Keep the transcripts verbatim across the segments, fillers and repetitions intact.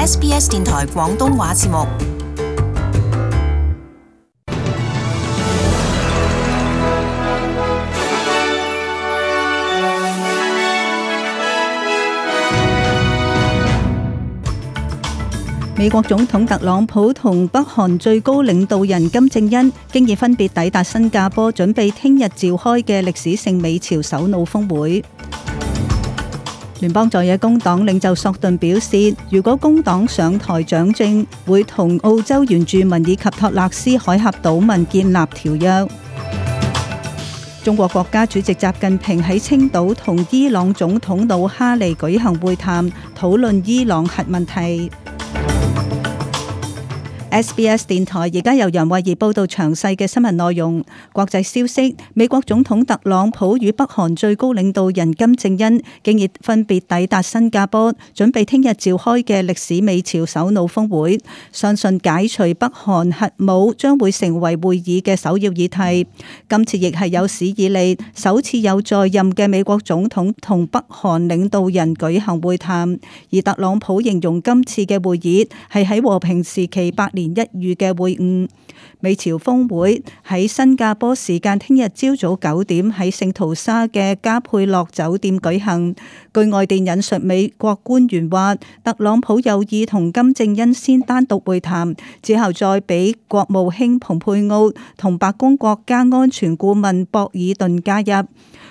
S B S 電台廣東話節目。美國總統特朗普同北韓最高領導人金正恩經已分別抵達新加坡，準備聽日召開嘅歷史性美朝首腦峰會。聯邦在野工黨領袖索頓表示，如果工黨上台掌政，會同澳洲原住民以及托勒斯海峽島民建立條約。中國國家主席習近平喺青島同伊朗總統魯哈尼舉行會談，討論伊朗核問題。S B S 電台而家由楊慧儀報道詳細嘅新聞內容。國際消息：美國總統特朗普與北韓最高領導人金正恩經已分別抵達新加坡，準備聽日召開嘅歷史美朝首腦峰會。相信解除北韓核武將會成為會議嘅首要議題。今次亦係有史以嚟首次有在任嘅美國總統同北韓領導人舉行會談。而特朗普形容今次嘅會議係喺和平時期百年一遇嘅會晤。美朝峰會喺新加坡時間聽日朝早九點喺聖淘沙嘅加佩洛酒店舉行。據外電引述美國官員話，特朗普有意同金正恩先單獨會談，之後再俾國務卿蓬佩奧同白宮國家安全顧問博爾頓加入。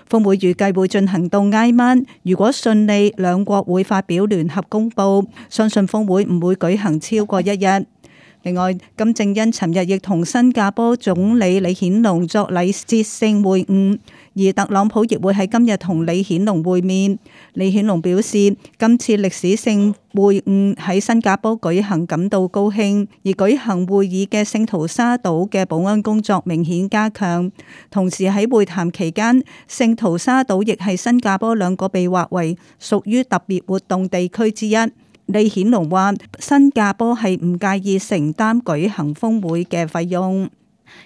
峰會預計會進行到挨晚，如果順利，兩國會發表聯合公報。相信峰會唔會舉行超過一日。另外，金正恩尋日亦同新加坡總理李顯龍作禮節性會晤，而特朗普亦會喺今日同李顯龍會面。李顯龍表示，今次歷史性會晤喺新加坡舉行感到高興，而舉行會議嘅聖淘沙島嘅保安工作明顯加強。同時喺會談期間，聖淘沙島亦係新加坡兩個被劃為屬於特別活動地區之一。李顯龍話：新加坡係唔介意承擔舉行峰會嘅費用。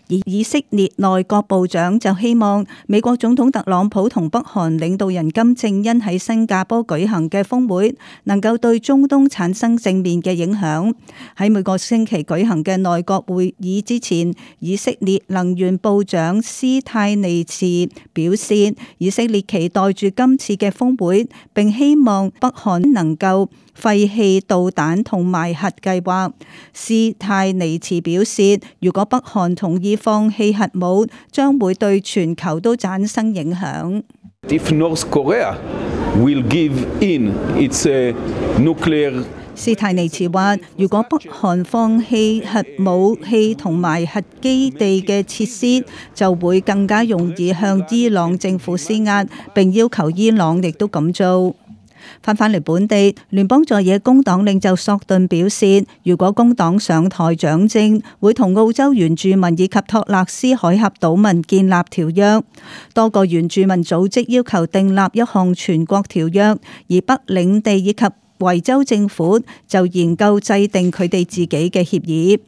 而以色列內閣部長就希望美國總統特朗普同北韓領導人金正恩喺新加坡舉行嘅峰會能夠對中東產生正面嘅影響。喺每個星期舉行嘅內閣會議之前，以色列能源部長斯泰尼茨表示，以色列期待住今次嘅峰會，並希望北韓能夠廢棄導彈同埋核計劃。斯泰尼茨表示，如果北韓同意放棄核武，將會對全球都產生影響。If North Korea will give in its nuclear，斯泰尼茨話，如果北韓放棄核武器同埋核基地嘅設施，就會更加容易向伊朗政府施壓，並要求伊朗亦都咁做。翻返嚟本地，聯邦在野工黨領袖索頓表示，如果工黨上台掌政，會同澳洲原住民以及托勒斯海峽島民建立條約。多個原住民組織要求訂立一項全國條約，而北領地以及維州政府就研究制定佢哋自己嘅協議。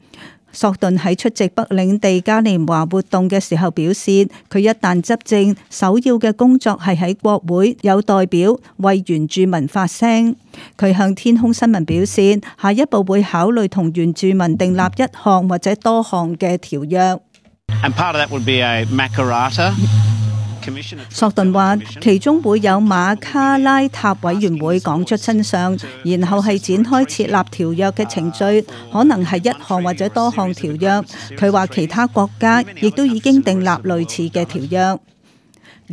索頓喺出席北領地嘉年華活動嘅時候表示，佢一旦執政，首要嘅工作係喺國會有代表為原住民發聲。佢向天空新聞表示，下一步會考慮同原住民訂立一項或者多項嘅條約。And part of that would be a Makarrata。索頓話，其中會有馬卡拉塔委員會講出真相，然後係展開設立條約嘅程序，可能係一項或者多項條約。佢話其他國家亦都已經訂立類似嘅條約。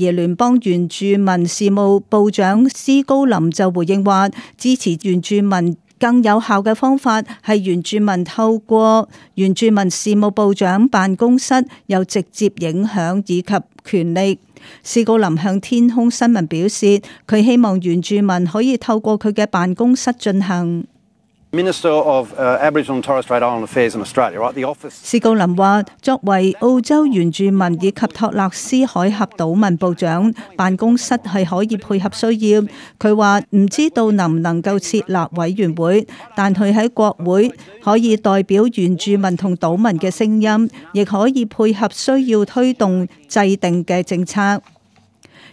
而聯邦原住民事務部長斯高林就回應話，支持原住民更有效嘅方法係原住民透過原住民事務部長辦公室有直接影響以及權力。斯高林向天空新聞表示，佢希望原住民可以透過佢嘅辦公室進行。斯高林話，作為澳洲原住民以及托勒斯海峽島民部長，辦公室係可以配合需要。佢話唔知道能唔能夠設立委員會，但佢喺國會可以代表原住民同島民嘅聲音，亦可以配合需要推動制定嘅政策。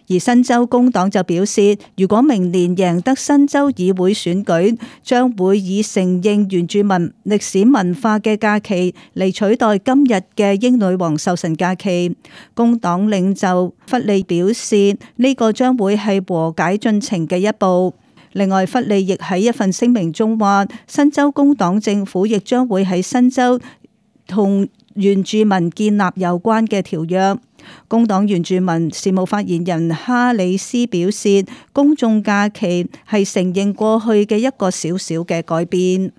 而新州工黨就表示，如果明年贏得新州議會選舉，將會以承認原住民歷史文化嘅假期嚟取代今日嘅英女王壽辰假期。工黨領袖弗利表示，呢個將會係和解進程嘅一步。另外，弗利亦喺一份聲明中話，新州工黨政府亦將會喺新州同原住民建立有關嘅條約。工黨原住民事務發言人哈里斯表示，公眾假期係承認過去嘅一個小小嘅改變。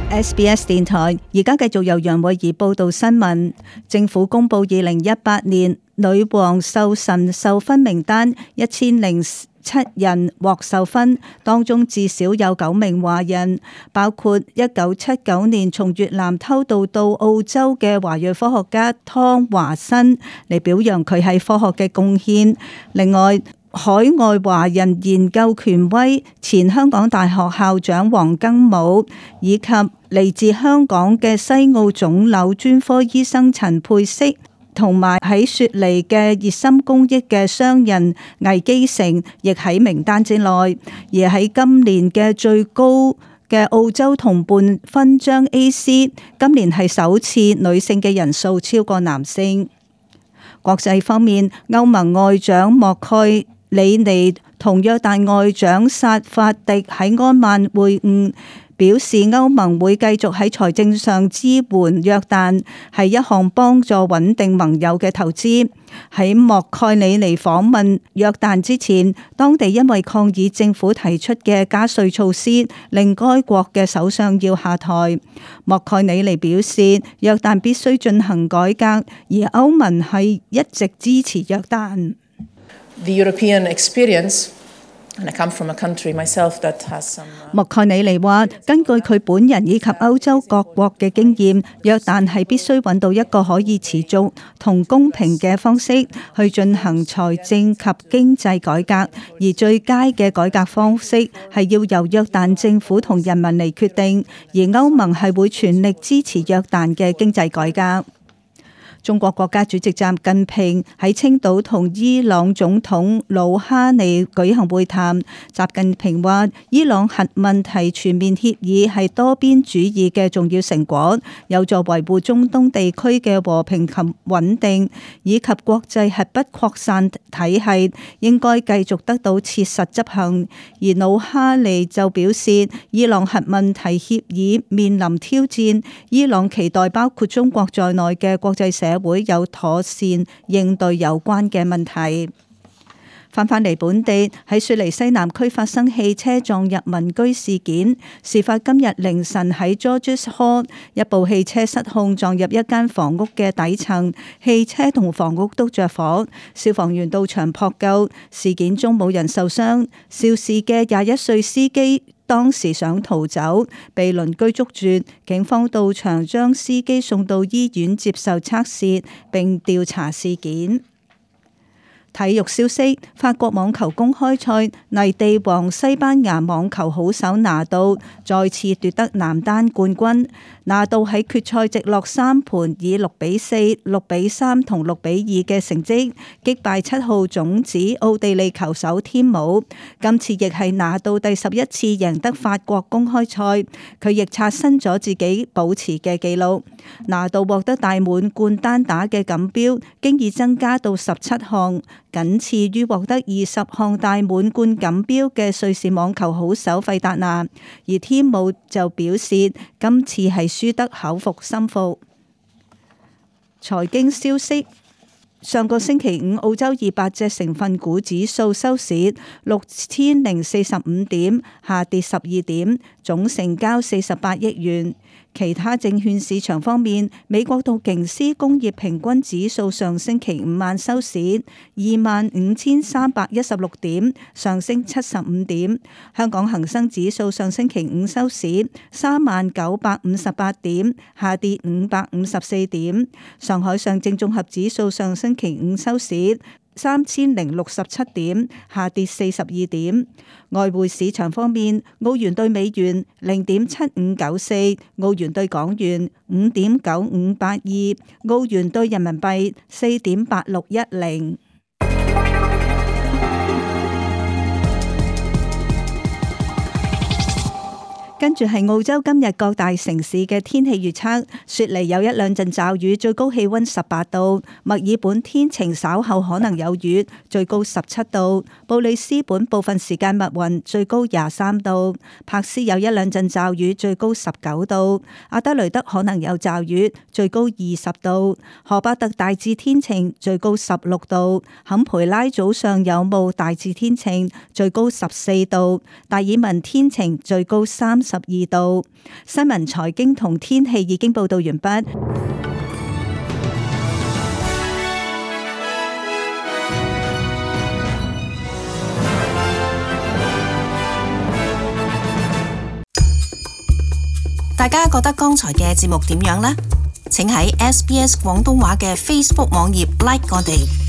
S B S 電台而家繼續由楊慧儀報道新聞。政府公布二零一八年女王壽辰授勳名單，一千零七人獲授勳，當中至少有九名華人，包括一九七九年從越南偷渡到澳洲嘅華裔科學家湯華新嚟表揚佢喺科學嘅貢獻。另外，海外華人研究權威前香港大學校長黃庚武，以及嚟自香港嘅西澳腫瘤專科醫生陳佩適，同埋喺雪梨嘅熱心公益嘅商人魏基成，亦喺名單之內。而喺今年嘅最高嘅澳洲同伴勳章 A C， 今年係首次女性嘅人數超過男性。國際方面，歐盟外長莫蓋里尼同約旦外長薩法迪喺安曼會晤，表示歐盟會繼續喺財政上支援約旦，係一項幫助穩定盟友嘅投資。喺莫蓋里尼訪問約旦之前，當地因為抗議政府提出嘅加稅措施，令該國嘅首相要下台。莫蓋里尼表示，約旦必須進行改革，而歐盟係一直支持約旦。The European experience, and I come from a country myself that has some. 莫蓋里尼話，根據佢本人以及歐洲各國嘅經驗，約旦係必須揾到一個可以持續同公平嘅方式去進行財政及經濟改革，而最佳嘅改革方式係要由約旦政府同人民嚟決定，而歐盟係會全力支持約旦嘅經濟改革。中國國家主席習近平喺青島同伊朗總統魯哈尼舉行會談。習近平話：伊朗核問題全面協議係多邊主義嘅重要成果，有助維護中東地區嘅和平及穩定，以及國際核不擴散體系應該繼續得到切實執行。而魯哈尼就表示，伊朗核問題協議面臨挑戰，伊朗期待包括中國在內嘅國際社會有妥善應對有關嘅問題。翻返嚟本地，喺雪梨西南區發生汽車撞入民居事件，事發今日凌晨喺 Georges Hall， 一部汽車失控撞入一間房屋嘅底層，汽車同房屋都着火，消防員到場撲救，事件中冇人受傷。肇事嘅廿一歲司機當時想逃走，被鄰居捉住，警方到場將司機送到醫院接受測試並調查事件。體育消息：法國網球公開賽泥地王西班牙網球好手拿度再次奪得男單冠軍。拿度喺決賽直落三盤以六比四、六比三同六比二嘅成績擊敗七號種子奧地利球手添姆。今次亦係拿度第十一次贏得法國公開賽，佢亦刷新咗自己保持嘅紀錄。拿度獲得大滿貫單打嘅錦標，經已增加到十七項，僅次於獲得二十項大滿貫錦標嘅瑞士網球好手費達拿。而添姆就表示，今次係輸得口服心服。財經消息：上個星期五，澳洲二百隻成分股指數收市六千零四十五點，下跌十二點，總成交四十八億元。其他證券市場方面，美國道瓊斯工業平均指數上星期五晚收市二萬五千三百一十六點，上升七十五點。香港恒生指數上星期五收市三萬九百五十八點，下跌五百五十四點。上海上證綜合指數上星期五收市三千零六十七點，下跌四十二點。外匯市場方面，澳元對美元零點七五九四，澳元對港元五點九五八二，澳元對人民幣四點八六一零。跟住係澳洲今日各大城市嘅天氣預測，雪梨有一兩陣驟雨，最高氣溫十八度；墨爾本天晴，稍後可能有雨，最高十七度；布里斯本部分時間密雲，最高廿三度；柏斯有一兩陣驟雨，最高十九度；阿德雷德可能有驟雨，最高二十度；荷巴特大致天晴，最高十六度；坎培拉早上有霧，大致天晴，最高十四度；達爾文天晴，最高三十二度。新聞、財經同天氣已經報道完畢。大家覺得剛才嘅節目點樣呢？請喺 S B S 廣東話嘅 Facebook 網頁 like 我哋。